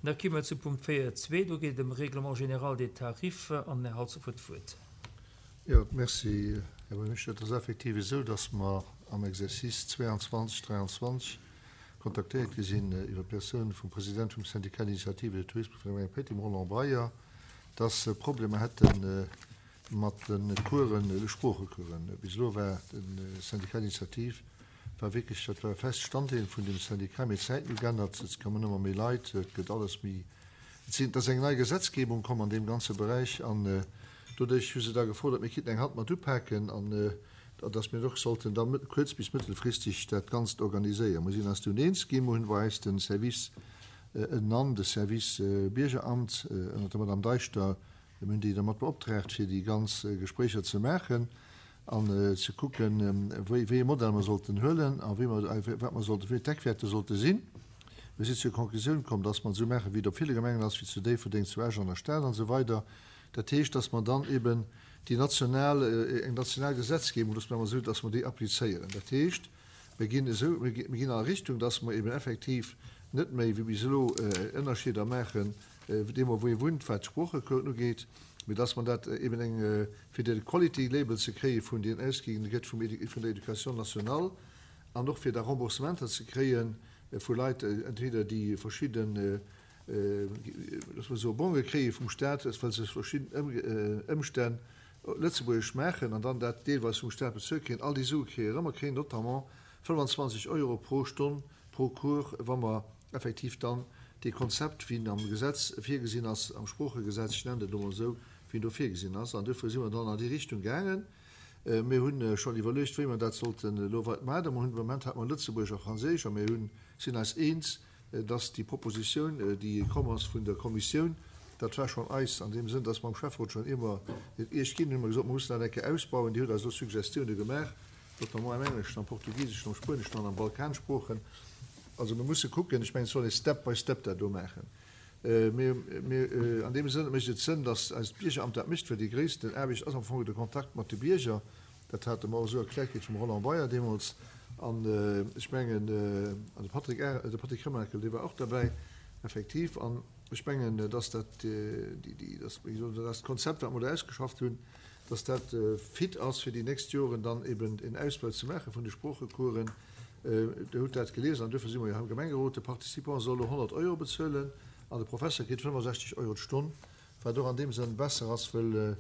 Da komme mer zu Punkt 4.2. Do geet et ëm Règlement général des tarifs. An den Här Halsdorf huet d'Wuert. Jo, merci, Här Buergermeeschter. Et ass effektiv esou, dass mer am Exercice 22, 23 kontaktéiert gi sinn iwwer d'Persoun vum President vum Syndicat d'initiative et de tourisme vun der Gemeng Péiteng, Roland Breyer, dass se Problemer hätte mat de Coursen, de Sproochecoursen. Bis elo war de Syndicat d'initiative war wierklech, dat war e fest Standdeel vun dem Syndicat, mee d'Zäiten hu geännert, et kommen ëmmer méi Leit, et gëtt alles méi, et sinn, et ass eng nei Gesetzgebung komm an deem ganze Beräich an doduerch hu se da gefordert, mir kinnten eng Hand mat upaken an datt mir och sollten da kuerz bis mëttelfristeg dat Ganzt organiséieren. Mir sinn eis dunn eens ginn, mir hunn bei eis de Service ënnenan, de Service Biergeramt ënnert der Madame Deichter, Mir hunn déi da mat beoptraagt, fir déi ganz Gespréicher ze maachen an ze kucken, wéi ee Modell mer sollten huelen a wéi mer, wat mer sollten, wéi d'Eckwäerter sollte sinn. Mir sinn zur Konklusioun komm, dass mer et esou maachen, wéi et op ville Gemengen ass, wéi zu Déifferdeng, zu Esch, an der Stad an esou weider. Dat heescht, dass mer dann eben déi national, eng national Gesetzgebung, loosse mer emol esou, dass mer déi applizéieren. Dat heescht, mir ginn esou, mir ginn an Richtung, dass mer eben effektiv net méi wéi bis elo Ënnerscheeder maachen deemno wou ee wunnt, wat d'Sproochequoten ugeet, mee dass mer dat eben eng, fir de Quality Label ze kréie vun deen ausginn gëtt vum vun der Éducation nationale an och fir da Remboursementer ze kréie vu Leit, entweder déi verschidden, loosse mer soe Bonge kréie vum Stat, well se verschidden Ëmstänn Lëtzebuergesch maachen an dann dat deelweis vum Stat bezuelt kréien. All déi Sue kréie erëm, mer kréien notamment 25 Euro pro Stonn pro Cours, wa mer effektiv dann dee Konzept, wéi en am Gesetz virgesinn ass, am Sproochegesetz, ech nennen dat elo mol esou, wéi en do virgesinn ass. An duerfir si mer dann an déi Richtung gaangen. Mir hu schonn iwwerluecht, wéi mer dat sollten elo weit maachen. Mer hunn, de Moment hate mer Lëtzebuergesch a Franséisch a mir hunn, sinn eis eens, dass déi Propositioun, déi komm ass vun der Kommissioun, dat war schonn eis an deem Sënn, dass mer am Schäfferot schonn, ier mer et Iech ginn hunn, hu mer gesot, mer mussen dat eng Kéier ausbauen. Dir hutt eis elo Suggestioune gemaach, notamment am Engleschen, am Portugiseschen, am Spueneschen an am Balkansproochen. Also mir musse kucken, ech mengen, et soll ee step by step dat do maachen. Mir, mir, an deem Sënn mécht et Sënn, datt eist Biergeramt dat mécht, well déi gréissten Aarbecht ass am Fong de Kontakt mat de Bierger. Dat hate mer och esou erkläert kritt vum Roland Beyer deemools. An ech mengen, an de Patrick, de Patrick Remakel, dee war och derbäi, effektiv. An ech mengen, datt dat, déi, déi, datt, wéi gesot, dat Konzept, wat mer do ausgeschafft hunn, datt dat fit ass, fir déi nächst Joren dann eben en Ausbau ze maache vun de Sproochecoursen. Dir hutt dat gelies an duerfir si mer jo hei am Gemengerot. De Participant soll elo 100 Euro bezuelen an de Professer kritt 65 Euro d'Stonn, wat och an deem Sënn besser ass, wëll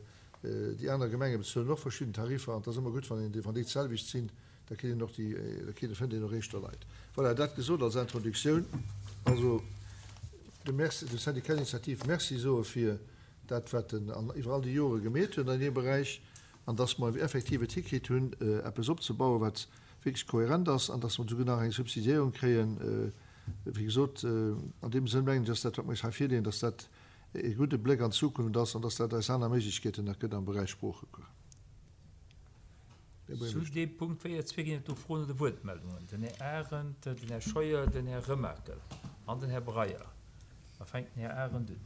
déi aner Gemenge bezuelen och verschidden Tariffer an et ass ëmmer gutt, wann een, wann déi d'selwecht sinn, da kritt een och déi, da kritt, fënnt een och éischter Leit. Voilà, dat gesot als Introductioun. Also dem Merci, dem Syndicat d'initiative Merci soe fir dat, wat en an iwwer all déi Jore gemeet huet an deem Beräich an dass mer effektiv et hikritt hunn, eppes opzebauen, wat wierklech kohärent ass an dass mer souguer nach eng Subsidiéierung kréien. Wéi gesot, an deem Sënn mengen ech, dass dat, wat mer eis hei virleeën, dass dat e gudde Bléck an d'Zukunft ass an dass dat eis aner Méiglechkeeten nach gëtt am Beräich Sproochecours. Här Zu deem Punkt 4.2 ginn et do Froen oder Wuertmeldungen. Den Här Arendt, den Här Scheuer, den Här Remakel an den Här Breyer. Da fänkt den Här Arendt un.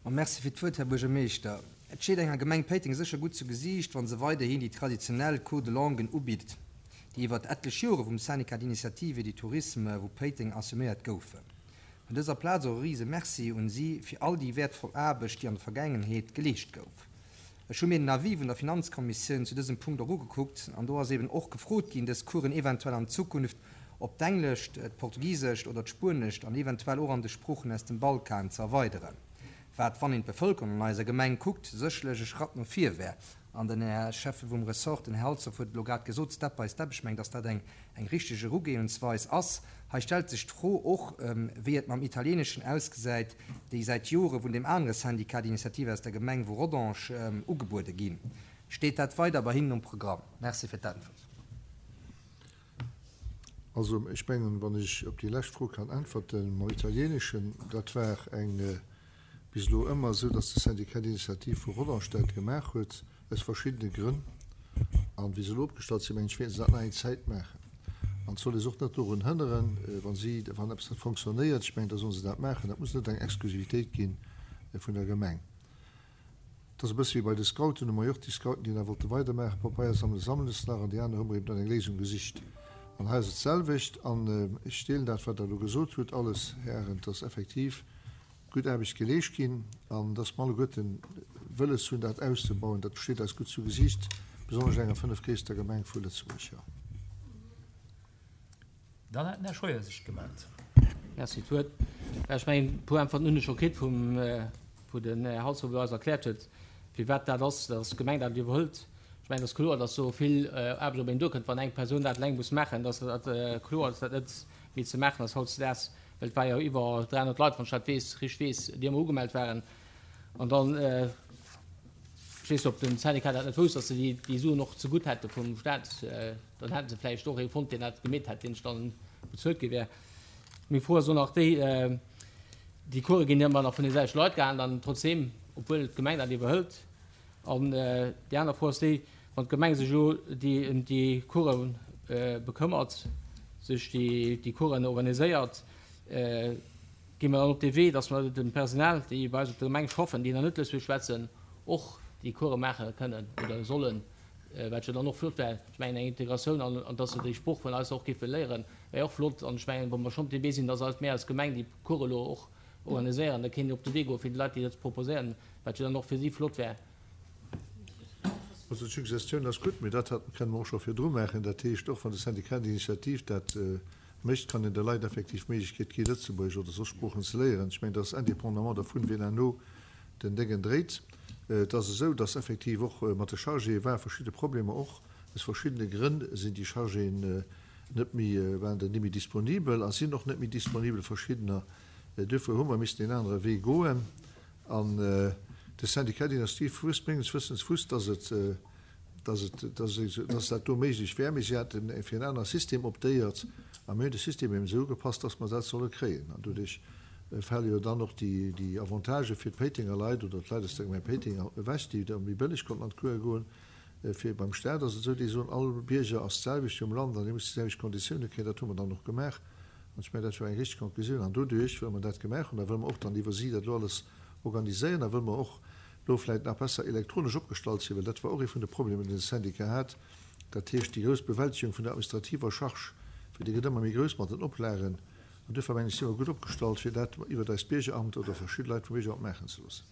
Ma merci fir d'Wuert, Här Buergermeeschter. Et steet enger Gemeng Péiteng sécher gutt zu Gesiicht, wa se weiderhin déi traditionell Cours de langues ubitt, déi iwwert etlech Jore vum Syndicat d'initiative et du tourisme vu Péiteng assuméiert goufen. Vun dëser Plaz och e rise Merci un si fir all déi wäertvoll Aarbecht, déi an der Vergaangenheet geleescht gouf. Ech hu mir den Avis vun der Finanzkommissioun zu dësem Punkt och ugekuckt an do ass eben och gefrot ginn, dës Coursen eventuell an Zukunft op d'Englescht, d'Portugisescht oder d'Spuenescht an eventuell och an de Sproochen aus dem Balkan ze erweideren, wat, wann een d'Bevëlkerung an eiser Gemeng kuckt, sécherlech e Schratt no vir wär. An den Här Schäffe vum Ressort, den Här Halsdorf, huet et elo grad gesot, step by step, ech mengen, dass dat eng eng richteg Erugehensweis ass. Hei stellt sech d'Fro och, wéi et mam Italieeneschen ausgesäit, déi säit Jore vun deem anere Syndicat d'initiative aus der Gemeng vu Rodange ugebuede ginn. Steet dat weider bei hinnen um Programm? Merci fir d'Äntwert. Also, ech mengen, wann ech op déi lescht Fro kann äntwerten, mam Italieeneschen, dat war eng bis elo ëmmer esou, dass de Syndicat d'initiative vu Rodange dat gemaach huet, aus verschiddene Grënn. An wéi se elo opgestallt sinn, mengen ech, wäerte se dat nach eng Zäit maachen. An et soll ee se och net dorun hënneren, wa si, wann eppes net fonctionnéiert, ech mengen, da solle se dat maachen. Dat muss net eng Exklusivitéit gi vun der Gemeng. Et ass e bësse wéi bei de Scouten, hu mer jo och déi Scouten, déi nach wollte weidermaachen, Papeier sammele sammele se nach an déi aner hu mer eben dann eng Léisung gesicht. An hei ass et d'selwecht. An ech deelen dat, wat Der elo gesot hutt, alles, Här Arendt, dass effektiv. gutt Aarbecht geleescht ginn an dass mer alleguerten wëlles hunn, dat auszebauen. Dat steet eis gutt zu Gesicht, besonnesch enger fënnefgréisster Gemeng vu Lëtzebuerg, jo. Dann hat den Här Scheuer sech gemellt. Merci fir d'Wuert. Ech mengen, e puer Äntwerten hunn ech scho kritt vum, wou den Här Halsdorf eis erkläert huet, firwat dat ass, dass d'Gemeng dat iwwerhëlt. Ech mengen, et ass kloer, dass do vill Aarbecht op een duerkënnt, wann eng Persoun dat eleng muss maachen. Dass dat kloer, dass dat net méi ze maachen ass hautdesdaags, well et war jo iwwer 300 Leit, wann ech dat weess, richteg weess, déi ëmmer ugemellt waren. An dann, ech weess net, ob den Syndicat dat net wousst, dass se déi Suen och zegutt hätte vum Staat. Dann hätte se vläicht och ee fonnt, deen dat gemeet hätt, deen sech dann bezuelt gi wär. Meng Fro ass och nach déi, Déi Course ginn ëmmer nach vun de selwechte Leit gehalen, dann trotzdeem, obwuel d'Gemeng dat iwwerhëlt. An déi aner Fro ass déi, Wann d'Gemeng sech elo ëm déi Course bekëmmert, sech déi Coursen organiséiert, gi mer dann op dee Wee, datt mer dem Personal, déi bei eis op der Gemeng schaffen, déi nach net Lëtzebuergesch schwätzen, och déi Course maache kënnen oder sollen? Wat jo dann och flott wär. Ech mengen, eng Integratioun an, an dass se déi Sprooch vun eis och géife léieren, wär jo och flott. An ech mengen, wa mer schonn op deem Wee sinn, dass eis, mir als Gemeng déi Course elo och organiséieren, da kéint een op de Wee goen, fir déi Leit déi dat ze proposéieren, wat jo dann och fir si flott wär. Also d'Suggestioun ass gutt, mee dat kënne mer och scho virdru maachen. Dat heescht, och wann de Syndicat d'initiative dat mécht, kann een de Leit effektiv d'Méiglechkeet gi Lëtzebuergesch oder soss Sproochen ze léieren. Ech mengen, dat ass indépendamment dervun, wien herno den Déngen dréit. Et ass esou, dass effektiv och mat de Chargéë ware verschidde Problemer. Och aus verschiddene Grënn sinn déi Chargéen net méi, waren dann net méi disponibel a sinn och net méi disponibel, verschiddener. Duerfir hu mer missen een anere Wee goen. An de Syndicat d'initiative wusst menges Wëssens wusst, dass et, dass et, dass dat do méiglech wär, mee si hate fir en anere System optéiert a mir hunn de System eben esou ugepasst, dass mer dat solle kréien. An doduerch fale jo dann och déi Avantagë fir d'Péitenger Leit oder d'Leit aus der Gemeng Péiteng ewech, déi da méi bëlleg konnten an d'Course goen. Fir beim Staat ass et esou, déi soen, all Bierger ass d'selwecht hier um Land an dee muss déi selwecht Konditioune kréien. Dat hu mer dann och gemaach an ech mengen, dat war eng richteg Konklusioun. An doduerch, wëll mer dat gemaach hunn a wëll mer och dann iwwer si dat elo alles organiséieren a wëll mer och elo vläicht nach besser elektronesch opgestallt sinn, well dat war och ee vun de Problemer, deen de Syndicat hat, dat heescht déi grouss Bewältegung vun der administrativer Charge, well déi gëtt ëmmer méi grouss mat den Oplagen. An duerfir mengen ech, si mer gutt opgestallt, fir dat iwwert eist Biergeramt oder verschidde Leit vum Biergeramt maachen ze loossen.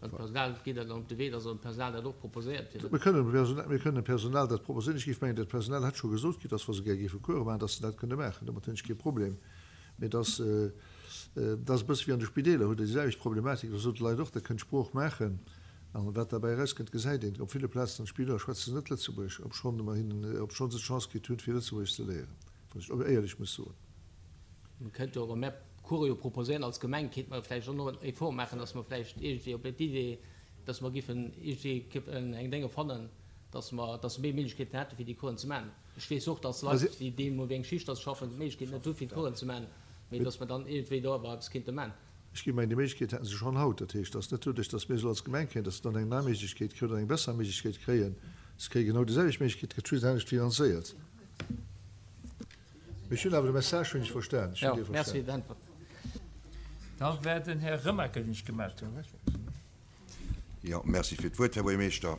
An d'Personal, geet dat dann op de Wee, dass dem Personal dat och proposéiert gëtt? Mir kënnen dem Personal, mir kënnen dem Personal dat proposéieren. Ech géif mengen, dat Personal hätt scho gesot kritt, dass wa se gär géife Course maachen, dass se dat kënne maachen. Domat hunn ech kee Problem. Mee et ass, et ass e bësse wéi an de Spideeler, hutt Der déi selwecht Problematik, da sote Leit och, Der kënnt Sprooch maachen. An wat derbäi erauskënnt, gesäit een. Op ville Plazen an de Spideeler schwätze se net Lëtzebuergesch, obschonn mer hinnen, obschonn se d'Chance kritt hunn, fir Lëtzebuergesch ze léieren, wann ech éierlech muss soen. Mir kéinte jo, wa mär Course jo proposéieren als Gemeng, kéinte mer vläicht och nach en Effort maachen, dass mer vläicht iergendwéi op d'Idee, dass mer giffen iergendwéi eng Dénge fannen, dass mer, dass se méi Méiglechkeeten hätte fir déi Coursen ze maachen. Ech weess och, dass Leit, déi deemno wéi eng Schicht dass schaffen, d'Méiglechkeet net hu fir d'Coursen ze maachen, mee dass mer dann iergendwéi do awer eppes kéinte maachen. Ech géif mengen, déi Méiglechkeet hätte se schonn haut. Dat heescht, dass net doduerch, dass mir se elo als Gemeng kréien, dass se dann eng nei Méiglechkeet kréien oder eng besser Méiglechkeet kréien. Se kréie genau déi selwecht Méiglechkeet, gëtt just anescht finanzéiert. Mee ech hunn awer de Message hunn ech verstan. Ech hunn dee verstan. Da war den Här Remakel, deen sech gemellt huet. Jo, merci fir d'Wuert, Här Buergermeeschter.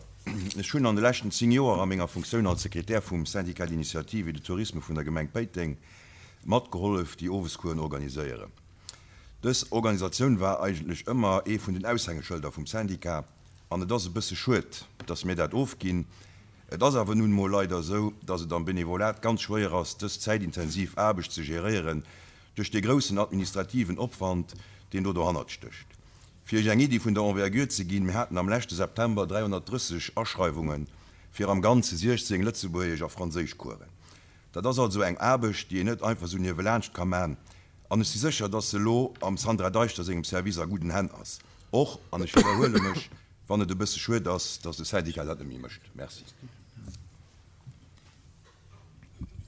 Ech hunn an de leschten 10 Joer a menger Funktioun als Sekretär vum Syndicat d'initiative et de tourisme vun der Gemeng Péiteng matgehollef, déi Owescoursen organiséieren. Dës Organisatioun war eigentlech ëmmer ee vun den Aushängeschëlder vum Syndicat an et ass e bësse schued, dass mir dat ofginn. Et ass awer nun emol leider esou, dass et am Benevolat ganz schwéier ass, dës zäitintensiv Aarbecht ze geréieren, duerch dee groussen administrativen Opwand, deen do dohannert stécht. Fir Iech eng Iddi vun der Envergure ze ginn, Mir haten am leschte September 330 Aschreiwunge fir am Ganze 16 Lëtzebuergesch a Franséischcoursen. Dat ass also eng Aarbecht, déi een net einfach esou niewelaanscht ka man. An ech si sécher, dass se elo am Sandra Deichter sengem Service a gudden Hänn ass, och, an ech widderhuele mech, wann et e bësse schued ass, dass de Syndicat dat net méi mécht. Merci.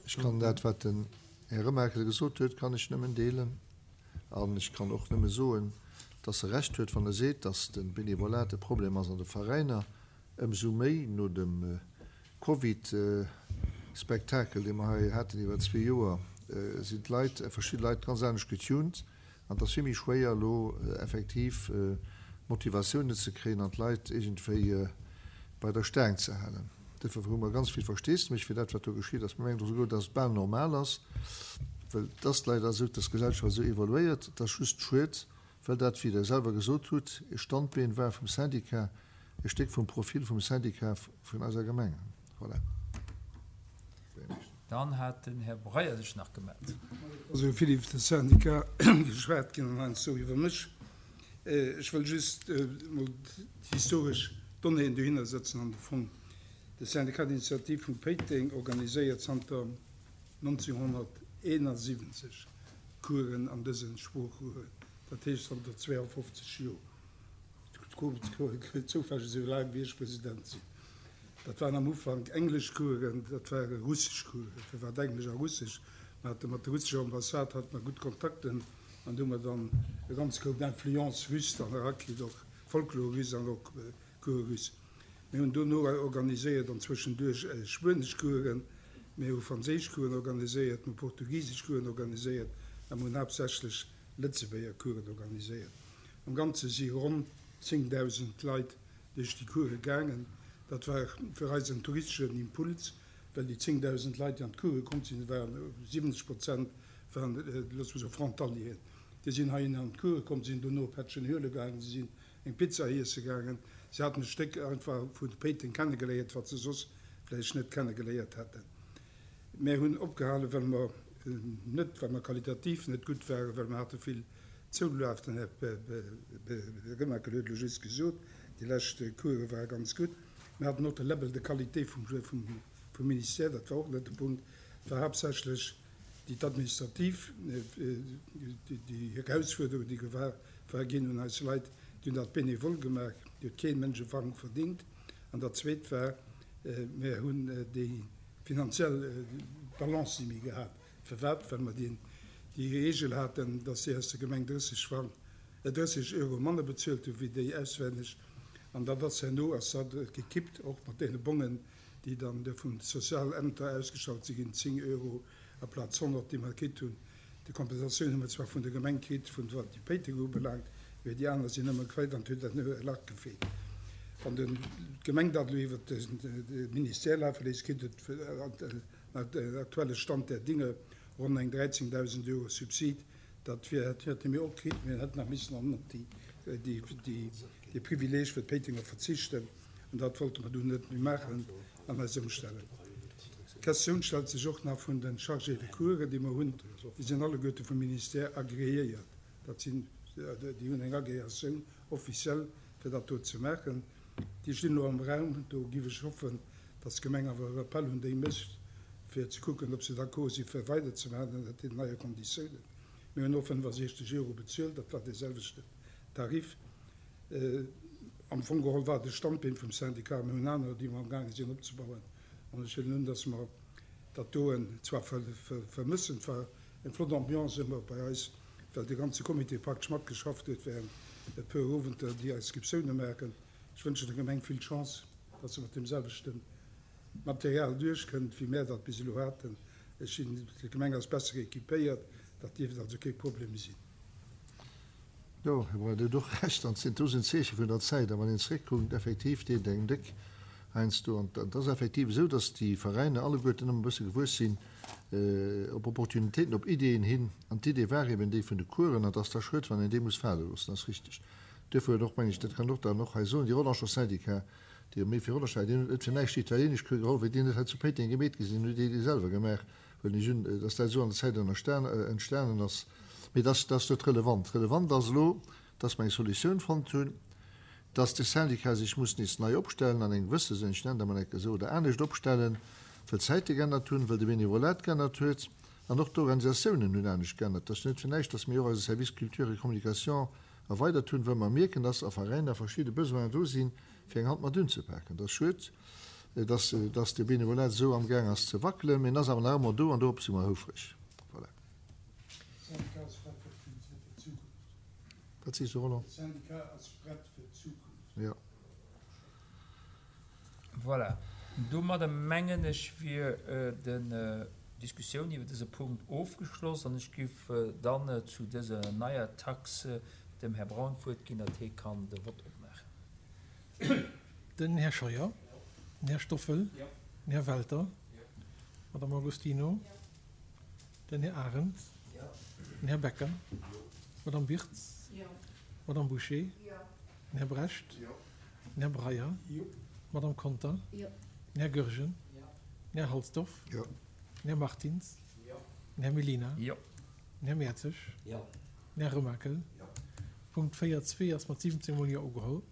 Ech kann dat, wat den Här Remakel gesot huet, kann ech nëmmen deelen. An ech kann och nëmme soen, dass e Recht huet, wann e seet, dass de Benevolat e Problem ass an de Veräiner, ëmsou méi no dem Covid-Spektakel, dee mer hei haten iwwer zwee Joer, sinn d'Leit, verschidde Leit ganz anescht getuned. An et ass vill méi schwéier elo effektiv Motivatiounen ze kréien an d'Leit iergendwéi bei der Staang ze halen. Duerfir hu mer ganz vill Versteesdemech fir dat, wat do geschitt ass. Mir mengen och souguer, dass et bal normal ass. Well et ass leider esou, dass d'Gesellschaft esou evoluéiert. Et ass just schued, well dat, wéi Der selwer gesot hutt, e Standbeen war vum Syndicat, e Stéck vum Profil vum Syndicat vun eiser Gemeng. Voilà. Dann hat den Här Breyer sech nach gemellt. Et ass esou vill iwwer de Syndicat geschwat ginn an heiansdo iwwer mech. Ech wëll just emol d'historesch Donnéeën dohinner setzen an de Fong. De Syndicat d'initiative vu Péiteng organiséiert zanter 1971 Coursen an dëse Sproochen, dat heescht zanter 52 Joer. D'Course zoufälleg esou laang wéi ech President sinn. Dat waren am Ufank englesch Coursen, dat ware russesch Coursen. Firwat englesch a russesch? Mer hate mat der russescher Ambassade hate mer gutt Kontakten an do hu mer dann e ganz Koup Influence russe dann erakritt, och Folklore russe an och Cours russe. Mir hunn dono organiséiert an zwëschenduerch spuenesch Coursen, mir hu franséisch Coursen organiséiert, mir hu portugisesch Coursen organiséiert a mir hunn haaptsächlech Lëtzebuerger Coursen organiséiert. Am Ganze si ronn 10.000 Leit duerch déi Course gaangen. Dat war fir eis en touristeschen Impuls, well déi 10.000 Leit, déi an d'Course komm sinn, waren 70 Prozent waren, loosse mer soen, Frontalieren. Déi sinn heihinner an d'Course komm, sinn dono e Pättchen huele gaangen, si sinn eng Pizza iesse gaangen. Si haten e Stéck einfach vu Péiteng kennegeléiert, wat se soss vläicht net kennegeléiert hätten. Mär hunn opgehalen, well mer net, well mer qualitativ net gutt waren, well mer hate vill Zoulaf. Den Här Remakel huet elo just gesot, déi lescht Course ware ganz gutt. Mir haten och de Label de qualité vum Ministère, dat war och net de Punkt. Et war haaptsächlech déi d'administrativ, déi Erausfuerderung, déi gewar war ginn un eis Leit, déi hunn dat bénévol gemaach, déi huet kee Mënsch e Frang verdingt. An dat Zweet war, mir hunn déi finanziell Balance ni méi gehat. Firwat? Well mer déi Reegel haten, dass déi aus der Gemeng 30 Frang, 30 Euro manner bezuelt hu wéi déi auswenneg. An dat ass herno ass dat gekippt, och mat deene Bongen, déi dann vun de Sozialämter ausgestallt si ginn, 10 Euro aplaz 100, déi mer kritt hunn. Déi Kompensatioun hu mer zwar vun der Gemeng kritt, vun wat déi Péiteng ubelaangt, mee déi aner sinn ëmmer quäit an et huet dat e Lach gefeelt. Wann d'Gemeng dat elo iwwer de Ministère lafe léisst, kritt et den aktuelle Stand der Dinge ronn eng 13.000 Euro Subsid. Dat wier, hätte mir och kritt, mir hätten nach missen an op déi Privileeg fir d'Péitenger verzichten. An dat wollte mer dunn net méi maachen an eis ëmstellen. D'Questioun stellt sech och nach vun de Chargés de cours, déi mer hunn. Déi sinn alleguerte vum Ministère agreéiert. Dat sinn, déi hunn eng Agréatioun officielle, fir dat do ze maachen. Déi stinn elo am Raum. Do giff ech hoffen, dass d'Gemeng awer e Rappel un déi mécht, fir ze kucken, ob se d'accord si fir weiderzemaachen ënnert deenen neie Konditiounen. Mir hunn och 65 Euro bezuelt, dat war dee selwechten Tarif. Am Fong geholl war de Standbeen vum Syndicat, mir hunn anerer, déi mer amgaange sinn opzebauen. An ech huelen un, dass mer dat doen zwar vermëssen. Et war eng flott Ambiance ëmmer bei eis, well de ganze Comité praktesch matgeschafft huet während e puer Owenter, déi Inscriptioune maachen. Ech wënschen der Gemeng vill Chance, dass se mat deem selwechte Material duerchkënnt, wéi mär dat bis elo haten. Ech sinn, d'Gemeng ass besser équipéiert, dat dierft also kee Problem sinn. Jo, Här Breyer, Dir hutt och Recht, an et sinn Zeeche vun der Zäit. A wann een zeréckkuckt, effektiv deet et engem déck heiansdo. An et ass effektiv esou, datt déi Veräiner alleguerten ëmmer e bësse gewuess sinn op Opportunitéiten, op Ideeën hin. An d'Idee war eben déi vun de Coursen. An et ass da schued, wann een déi muss fale loossen. Dat ass richteg. Duerfir huet och, meng ech, dat kann een och dann och hei soen, déi Rodangener Syndicat, déi jo méi fir Rodange war, deen huet net fir näischt déi italienesch Cours geholl, wéi déi net hei zu Péiteng gemeet gi sinn, huet déi déi selwer gemaach. Huelen ech un, dass dat esou an der Zäit entstanen ass. Mee dat ass net relevant. Relevant ass elo, dass mer eng Solutioun fonnt hunn, dass de Syndicat sech muss nees nei opstellen an engem gewësse Sënn, ech nennen dat mol enke esou, oder anescht opstellen, well d'Zäite geännert hunn, well de Benevolat geännert huet an och d'Organisatiounen hunn anescht geännert. Dat ass jo net fir näischt, dass mir och eise Service Culture et Communication erweidert hunn, well mer mierken, dass a Veräiner verschidde Besoinen do sinn, fir eng Hand mat unzepaken. Dat ass schued, dass, dass de Benevolat esou amgaang ass ze wackelen, mee en ass awer nach ëmmer do an dorop si mer houfreg. Voilà. Syndicat ass prett fir d'Zukunft. Wat sees du, Roland? De Syndicat ass prett fir d'Zukunft. Jo. Voilà. Domadder mengen ech wier den Diskussioun iwwer dëse Punkt ofgeschloss an ech giff dann zu dëser neier Taxe dem Här Braun d'Wuert ginn, datt hie kann de Vott opmaachen. Den Här Scheuer, den Här Stoffel, den Här Welter, d'Madame Agostino, den. Den Här Arendt. Den Här Becker. D'Madame Birtz. D'Madame Bouché. Den Här Brecht. Den Här Breyer. D'Madame Conter. Den Här Goergen. Den Här Halsdorf. Den Här Martins. Den Här Mellina. Den Här Mertzig. Den Här Remakel. Punkt 4, 2 ass mat 17 mol Jo ugeholl.